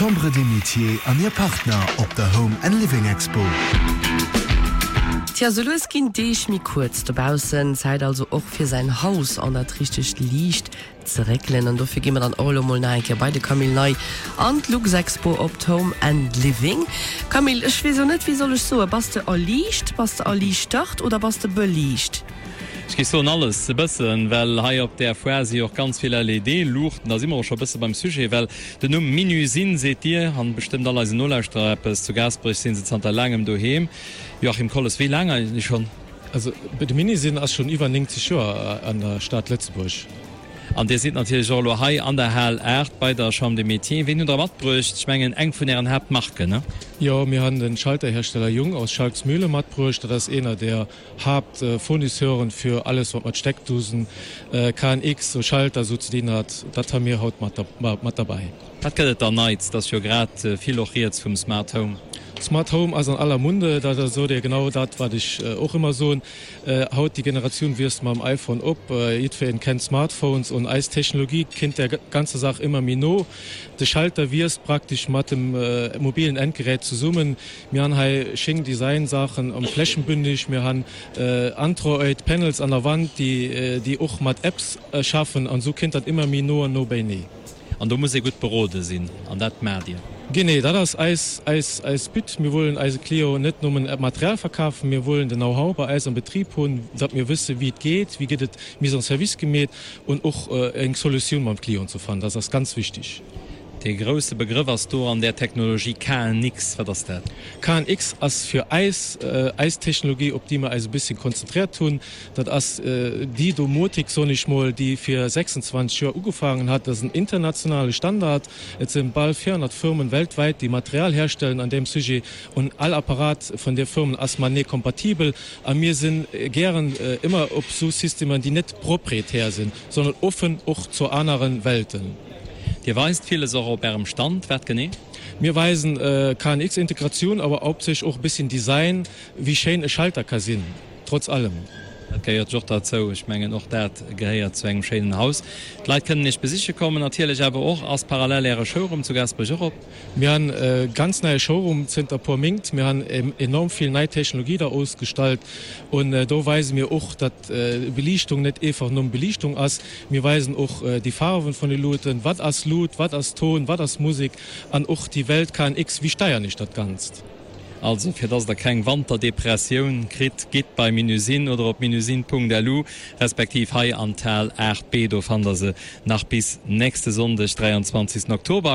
D'Chambre des Métiers an hir Partner op der Home and Living Expo. Tja, sou lues ginn d'Deeg méi kuerz dobaussen. Zäit also och fir säin Haus an dat richtegt Liicht ze réckelen. An dofir gi mer dann och elo mol nach eng Kéier bei de Camille Ney an d'Luxexpo op d'Home and Living. Camille, ech weess elo net, wéi soll ech soen, bass de erliicht, bass de erliichtert oder bass de beliicht? Ech géif soen alles e bëssen, well hei op där Foire si jo och ganz vill LED-Luuchten. Da si mer och scho e bësse beim Sujet, well den Numm Minusine seet dir an bestëmmt all eisen Nolauschterer eppes. Zu Gaasperech si se zanter laangem doheem. Joachim Kolles, wéi laang eigentlech schonn? Also de Minusine ass schonn iwwer 90 Joer an der Stad Lëtzebuerg. An Dir sidd natierlech och elo hei an der Hal 8 bei der Chambre des Métiers. Ween hutt Der matbruecht? Ech mengen eng vun Ären Haaptmarken, ne? Jo, mir han den Schalterhersteller Jung aus Schalksmühle matbruecht. Dat ass eener der Haaptfournisseuren fir alles wat mat Steckdosen, KNX, Schalter esou ze dinn hat. Dat ha mir haut mat derbäi. Wat gëtt et dann Neits? Et ass jo grad vill och rieds vum Smart Home. Smart Home ass an aller Munde. Dat sot Dir genau dat wat ech och ëmmer soen. Haut déi Generatioun wiisst mam iPhone op. Jiddwereen kennt Smartphones un eis Technologie kinnt där ganzer Saach ëmmer méi no. De Schalter wiisst praktesch mat dem mobilen Endgerät zesummen. Mir han hei schéng Design-Saachen am flächenbündig. Mir han Android Panels an der Wand déi och mat Apps schaffen an esou kinnt dat ëmmer méi no an no beinee. An do muss ee gutt berode sinn, an dat maacht Dir. Genee, dat ass eis, eis, eis But. Mir wollen eise Clienten net nëmmen Material verkafen, mir wollen den Know-how bei eis am Betrib hunn, datt mir wësse wéi et geet, wéi gëtt et Mise en service gemeet und och eng Solutioun mam Client ze fannen. Dat ass ganz wichtig. Dee grousse Begrëff ass do an där Technologie KNX. Wat ass dat? KNX ass fir eis eis Technologie, op déi mir eis e bësschen konzentriert hunn. Dat ass déi Domotik, soen ech mol, déi vir 26 Joer ugefaangen hat. Dat ass en internationale Standard. Et sinn bal 400 Firmen weltwäit, déi Material herstellen an deem Sujet. Un all Apparat vun där Firmen ass matenee kompatibel. A mir si gären ëmmer op esou Systemer, déi net proprietär sinn, sondern offen och zu anere Welten. Dir weist villes och op Ärem Stand. Wat genee? Mir weisen KNX-Integratioun, awer hauptsächlech och e bësschen Design, wéi schéin e Schalter ka sinn. Trotz allem. Dat gehéiert jo och derzou. Ech mengen, och dat gehéiert zu engem schéinen Haus. D'Leit kënnen Iech besiche kommen natierlech, awer och ass parallel Äre Showroom zu Gaasperech och op. Mir han e ganz neie Showroom zënter e puer Méint. Mir han enorm vill nei Technologie da ausgestallt un do weise mir och, datt Beliichtung net eefach nëmmen Beliichtung ass. Mir weisen och déi Farwen vun de Luuten, wat ass Lut, wat ass Ton, wat ass Musek an och déi Welt KNX, wéi steiern ech dat Ganzt. Also fir dass der keng Wanterdepressioun kritt, gitt bei Minusine oder op minusine.lu respektiv hei an d'Hal 8B, do fannt der se nach bis nächste Sonndeg, 23 Oktober.